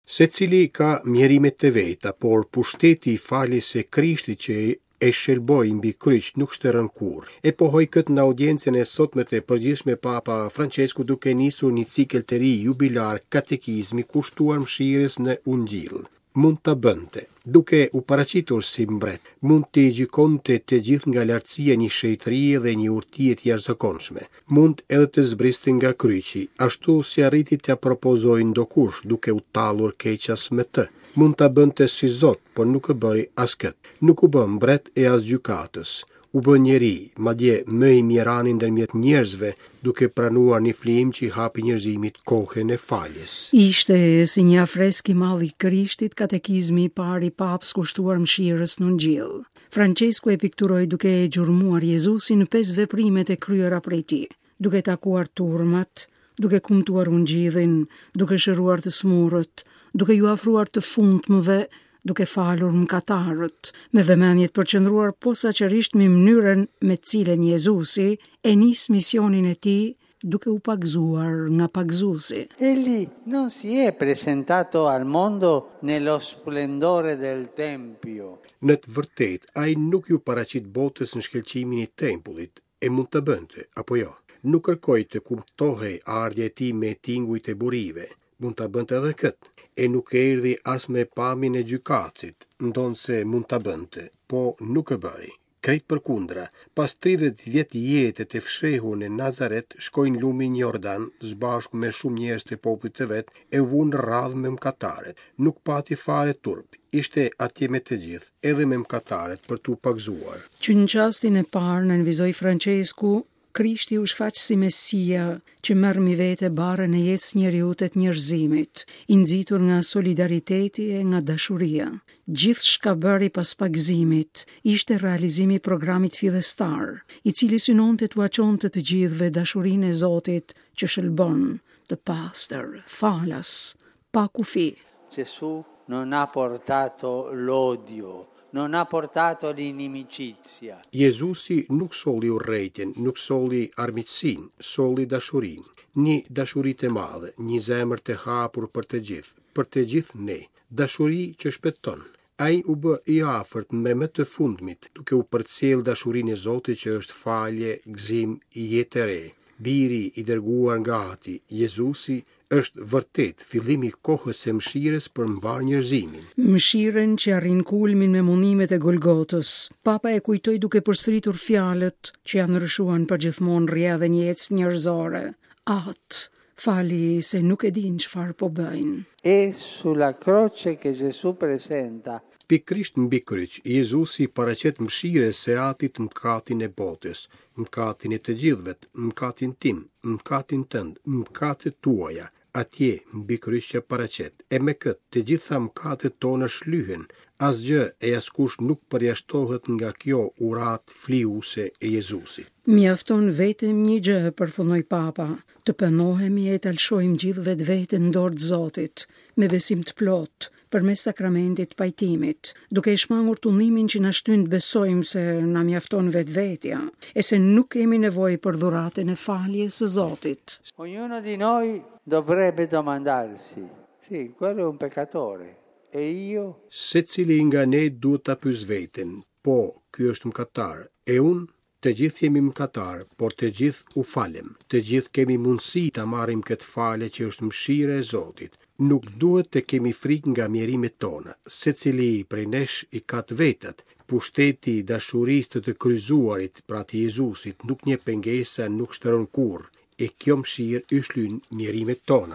Secili ka mjerimet e veta, por pushteti i faljes së Krishtit që e shëlboi mbi kryq nuk shteron kurrë. E pohoi këtë në audiencën e sotme të përgjithshme Papa Françesku duke nisur një cikël të ri jubilar katekizmi kushtuar mëshirës në Ungjill. Mund ta bënte, duke u paraqitur si mbret, mund t'i gjykonte të gjithë nga lartësia e një shenjtërie dhe një urtie të jashtëzakonshme. Mund edhe të zbriste nga kryqi, ashtu si arriti t'ia propozojë ndokush, duke u tallur keqas me të. Mund ta bënte si Zot, por nuk e bëri as këtë. Nuk u bë mbret e as gjykatës. U bë njeri, madje më i mjerani ndërmjet njerëzve, duke pranuar një flijim që i hapi njerëzimit kohën e faljes. Ishte si një afresk i madh i Krishtit katekizmi i parë i Papës kushtuar mëshirës në Ungjill. Françesku e pikturoi duke e gjurmuar Jezusin në pesë veprimet e kryera prej tij, duke takuar turmat, duke kumtuar ungjillin, duke shëruar të smurët, duke iu afruar të fundmëve, duke falur mëkatarët, me vëmendje të përqendruar posaçërisht mbi mënyrën me të cilën Jezusi e nis misionin e tij duke u pagëzuar nga pagëzuesi. Egli non si è presentato al mondo nello splendore del tempio. Në të vërtetë, ai nuk iu paraqit botës në shkëlqimin e tempullit, e mund ta bënte, apo jo? Nuk kërkoi të kumtohej ardhja e tij me tingujt e burive, mund ta bënte edhe këtë, e nuk erdhi as me pamjen e gjykatësit, ndonëse mund ta bënte, po nuk e bëri. Krejt përkundra, pas 30 vjet jete të fshehur në Nazaret, shkoi në lumin Jordan, së bashku me shumë njerëz të popullit të vet, e u vu në radhë me mëkatarët. Nuk pati fare turp, ishte atje me të gjithë, edhe me mëkatarët për t'u pagëzuar. Që në çastin e parë, nënvizoi Françesku, Krishti u shfaq si Mesia që merr mbi vete barrën e jetës së njeriut e të njerëzimit, i nxitur nga solidariteti e nga dashuria. Gjithçka bëri pas pagëzimit ishte realizimi i programit fillestar, i cili synonte t'ua çonte të gjithëve dashurinë e Zotit që shëlbon, të pastër, falas, pa kufi. Gesù non ha portato l'odio, non ha portato l'inimicizia. Jezusi nuk solli urrejtjen, nuk solli armiqësinë, solli dashurinë. Një dashuri të madhe, një zemër të hapur për të gjithë, për të gjithë ne. Dashuri që shpëton. Ai u bë i afërt me më të fundmit, duke u përcjellë dashurinë e Zotit që është falje, gëzim, jetë e re. Biri i dërguar nga Ati, Jezusi, është vërtet fillimi i kohës së mëshirës për mbarë njerëzimin. Mëshirën që arrin kulmin me mundimet e Golgotës, Papa e kujtoi duke përsëritur fjalët që ia ndryshuan përgjithmonë rrjedhën e jetës njerëzore. Atë, fali se nuk e dinë çfarë po bëjnë. È sulla croce che Gesù presenta Pikërisht mbi kryq, Jezusi paraqet mëshirës së Atit mëkatin e botës, mëkatin e të gjithëve, mëkatin tim, mëkatin tënd, mëkatet tuaja, atje mbi kryq ia paraqet. E me këtë, të gjitha mëkatet tona shlyhen, asgjë e askush nuk përjashtohet nga kjo uratë flijuese e Jezusit. Mjafton vetëm një gjë, përfundoi Papa, të pendohemi e ta lëshojmë gjithë vetveten në dorë të Zotit, me besim të plotë, përmes sakramentit të pajtimit, duke e shmangur tundimin që na shtyn të besojmë se na mjafton vetvetja, e se nuk kemi nevojë për dhuratën e faljes së Zotit. Ognuno di noi dovrebbe domandarsi, sì, quello è un peccatore, e io? Secili nga ne duhet ta pyesë veten, po, ky është mëkatar, e unë? Të gjithë jemi mëkatarë, por të gjithë u falem. Të gjithë kemi mundësi ta marrim këtë falje që është mëshira e Zotit. Nuk duhet të kemi frikë nga mjerimet tona. Secili prej nesh i ka të vetat. Pushteti i dashurisë të të kryqëzuarit, pra të Jezusit, nuk njeh pengesa, nuk shteron kurrë. E kjo mëshirë i shlyn mjerimet tona.